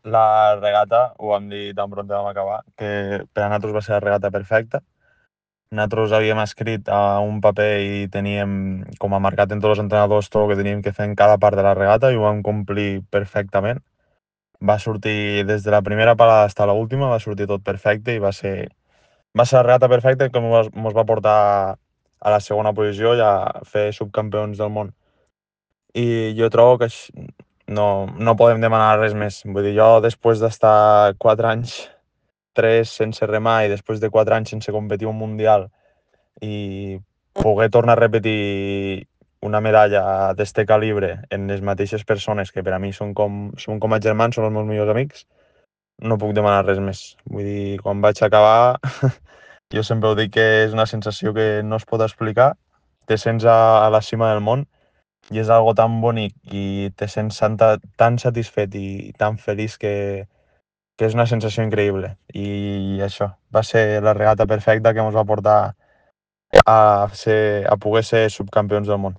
La regata, ho vam dir tan pront vam acabar, que per a nosaltres va ser la regata perfecta. Nosaltres havíem escrit a un paper i teníem com a marcat entre els entrenadors tot el que teníem que fer en cada part de la regata i ho vam complir perfectament. Va sortir des de la primera parada fins a l'última, va sortir tot perfecte i va ser la regata perfecta que ens va portar a la segona posició i a fer subcampions del món. I jo trobo que no podem demanar res més. Vull dir, jo després d'estar 4 anys, 3 sense remar i després de 4 anys sense competir un mundial i poder tornar a repetir una medalla d'este calibre en les mateixes persones que per a mi són com a germans, són els meus millors amics, no puc demanar res més. Vull dir, quan vaig acabar, jo sempre ho dic que és una sensació que no es pot explicar. Te sents a la cima del món i és algo tan bonic i te sents tan satisfet i tan feliç que és una sensació increïble. I això va ser la regata perfecta que ens va portar a poder ser subcampions del món.